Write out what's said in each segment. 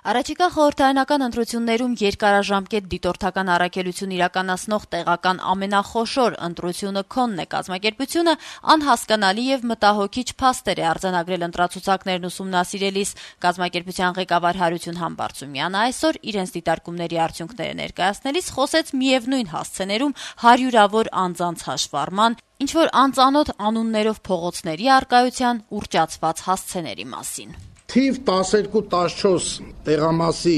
Առաջիկա խորհրդարանական ընտրություններում երկարաժամկետ դիտորդական առաքելություն իրականացնող տեղական ամենախոշոր ընտրությունը Քոնն է կազմակերպությունը անհասկանալի եւ մտահոգիչ փաստեր է արձանագրել ընտրացուցակներն ուսումնասիրելիս։ Կազմակերպության ղեկավար Հարություն Համբարձումյանը այսօր իրենց դիտարկումների արդյունքները ներկայացնելիս խոսեց միևնույն հասցեներում հարյուրավոր անձանց հաշվառման, ինչ-որ անծանոթ անուններով փողոցների առկայության ուռճացված հասցեների մասին։ Թիվ 12-14 տեղամասի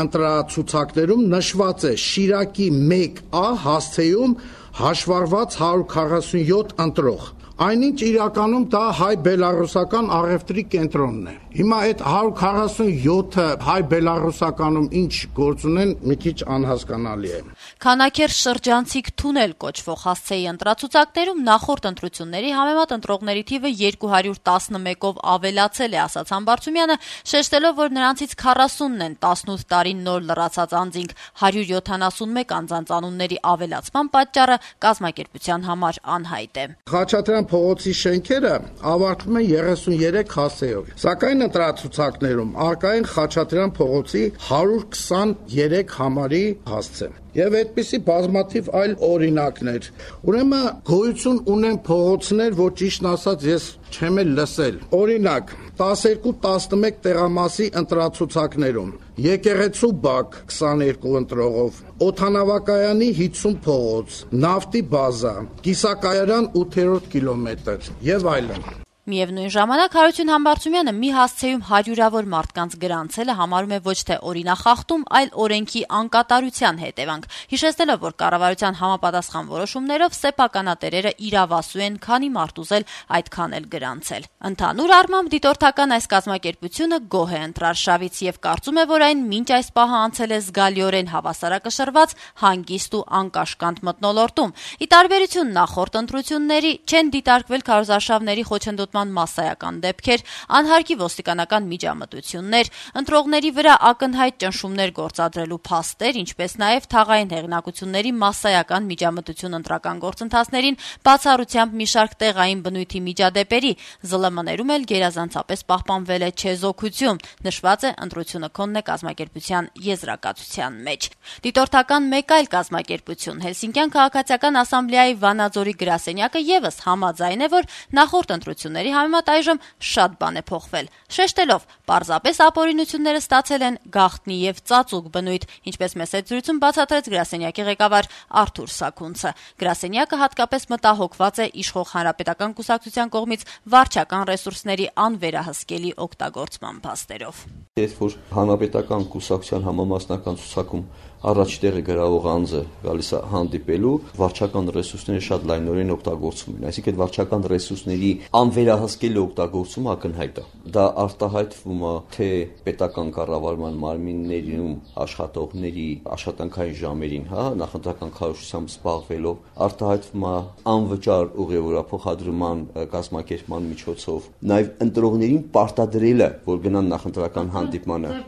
ընտրացուցակներում նշված է Շիրակի 1A հասցեում հաշվառված 147 ընտրող։ Այնինչ իրականում դա հայ-բելարուսական առևտրի կենտրոնն է։ Հիմա այդ 147-ը հայ-բելարուսականում ինչ գործ ունեն, մի քիչ անհասկանալի է։ Քանաքեր շրջանցիկ թունել կոչվող հասցեի ընտրացուցակներում նախորդ ընտրությունների համեմատ ընտրողների թիվը 211-ով ավելացել է, ասաց Համբարձումյանը, շեշտելով, որ նրանցից 40-ն են 18 տարի նոր լրացած անձինք, 171 անձանց անունների ավելացման պատճառը կազմակերպության համար անհայտ է։ Խաչատրյան փողոցի շենքերը ավարտվում են 33 հասցեով, սակայն ընտրացուցակներում առկա են Խաչատրյան փողոցի 123 համարի հասցե։ Եվ այդպիսի բազմաթիվ այլ օրինակներ։ Ուրեմն գոյություն ունեն փողոցներ, որ ճիշտն ասած ես չեմ էլ լսել։ Օրինակ 12-11 տեղամասի ընտրացուցակներում Եկեղեցու բակ 22 ընտրողով, օդանավակայանի 50 փողոց, նավթի բազա, կիսակայարան 8-րդ կիլոմետր եւ այլն։ Միևնույն ժամանակ Հարություն Համբարձումյանը մի հասցեում հարյուրավոր մարդկանց գրանցելը համարում է ոչ թե օրինախախտում, այլ օրենքի անկատարության հետևանք, հիշեցնելով, որ կառավարության համապատասխան որոշումներով սեփականատերերը իրավասու են քանի մարդ ուզել այդքան էլ գրանցել։ Ընդհանուր առմամբ դիտորդական այս կազմակերպությունը գոհ է ընտրարշավից եւ կարծում է, որ այն մինչ այս պահը անցել է զգալիորեն հավասարակշռված, հանգիստ ու անկաշկանդ մթնոլորտում։ Ի տարբերություն նախորդ ընտրությունների չեն դիտարկվել քարոզարշավների խոչընդոտման մասսայական դեպքեր, անհարկի ոստիկանական միջամտություններ, ընտրողների վրա ակնհայտ ճնշումներ գործադրելու փաստեր, ինչպես նաև թաղային հեղինակությունների մասսայական միջամտություն ընտրական գործընթացներին բացառությամբ մի շարք տեղային բնույթի միջադեպերի, ԶԼՄ-ներում էլ գերազանցապես պահպանվել է չեզոքություն, նշված է ընտրությունը Քոնն է կազմակերպության եզրակացության մեջ։ Դիտորդական մեկ այլ կազմակերպություն Հելսինկյան քաղաքացիական ասամբլեայի Վանաձորի գրասենյակը եւս համաձայն է, որ նախորդ ընտրությունների համեմատ այժմ շատ բան է փոխվել, շեշտելով, պարզապես ապօրինությունները ստացել են գաղտնի եւ ծածուկ բնույթ, ինչպես մեծ զրույցում բացատրեց գրասենյակի ղեկավար Արթուր Սաքունցը։ Գրասենյակը հատկապես մտահոգված է իշխող հանրապետական կուսակցության կողմից վարչական ռեսուրսների անվերահսկելի օգտագործման փաստերով։ Երբ որ հանրապետական կուսակցության համամասնական ցուցակում առաջ տեղը գրավող անձը գալիս է հանդիպելու, վարչական ռեսուրսները շատ լայնորեն օգտագործում են, այսինքն վարչական ռեսուրսների անվերահսկելի օգտագործումը ակնհայտ է։ Դա արտահայտվում է թե պետական կառավարման մարմիններում աշխատողների աշխատանքային ժամերին, նախընտրական քարոզությամբ զբաղվելով, արտահայտվում է անվճար ուղևորափոխադրման կազմակերպման միջոցով, նաև ընտրողներին պարտադրելը, որ գնան նախընտրական հանդիպմանը։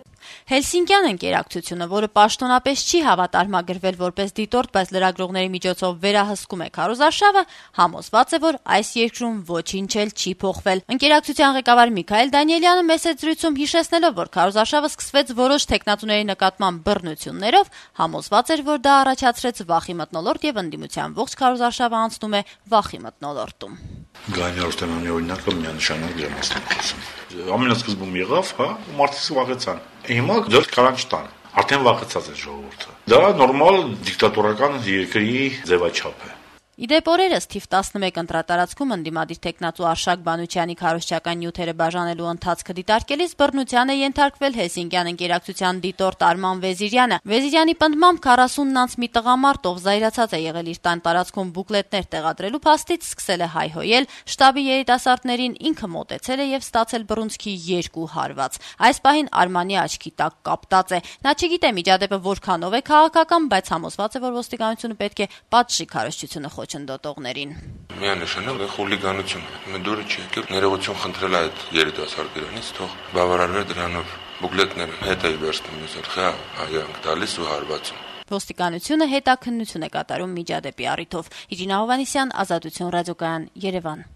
Հելսինկյան ընկերակցությունը, որը պաշտոնապես չի հավատարմագրվել որպես դիտորդ, բայց լրագրողների միջոցով վերահսկում է քարոզարշավը, համոզված է, որ այս երկրում ոչինչ էլ չի փոխվել։ Ընկերակցության ղեկավար Միքայել Դանիելյանը մեծ զրույցում հիշեցնելով, որ քարոզարշավը սկսվեց որոշ տեխնատուների նկատմամբ բռնություններով, համոզված էր, որ դա առաջացրեց վախի մթնոլորտ եւ ընդդիմության ողջ քարոզարշավը անցնում է վախի մթնոլորտում։ Գայնի Արստեմյանի օրինակը միանշանակ դրա մասին խոսում։ Ամենասկզբում եղավ, մարդիկ վախեցան։ Հիմա դեռ կարան չտան։ Արդեն վախեցած է ժողովուրդը։ Դա նորմալ դիկտատորական երկրի ձևաչափ է։ Իդեպ օրերս թիվ 11 ընտրատարածքում ընդդիմադիր տեխնատու Արշակ Բանուչյանի քարոզչական նյութերը բաժանելու ընթացքը դիտարկելիս բռնության է ենթարկվել Հելսինկյան ընկերակցության դիտորդ Արման Վեզիրյանը։ Վեզիրյանի պնդմամբ 40-ից մի տղամարդ, ով զայրացած է եղել իր տան տարածքում բուկլետներ տեղադրելու փաստից, սկսել է հայհոյել, շտաբի երիտասարդներին ինքը մոտեցել է եւ ստացել բռունցքի 2 հարված։ Այս պահին Արմանի աչքի տակ կապտած է։ Նա չգիտե միջադեպը որքանով է քաղաքական, բայց համոզված է, որ ոստիկանությունը պետք է պատժի քարոզչությունը խոչընդոտողներին։ Միանշանակ խուլիգանություն, դուրը չի եկել, ներողություն խնդրել այդ երիտասարդ դրանից, թող բավարարվի դրանով բուկլետները հետ է վերցնում, խա հայանք տալիս ու հարվածում։ Ոստիկանությունը հետաքննություն է կատարում միջադեպի առիթով։ Իրինա Հովհաննիսյան, Ազատություն ռադիոկայան, Երևան։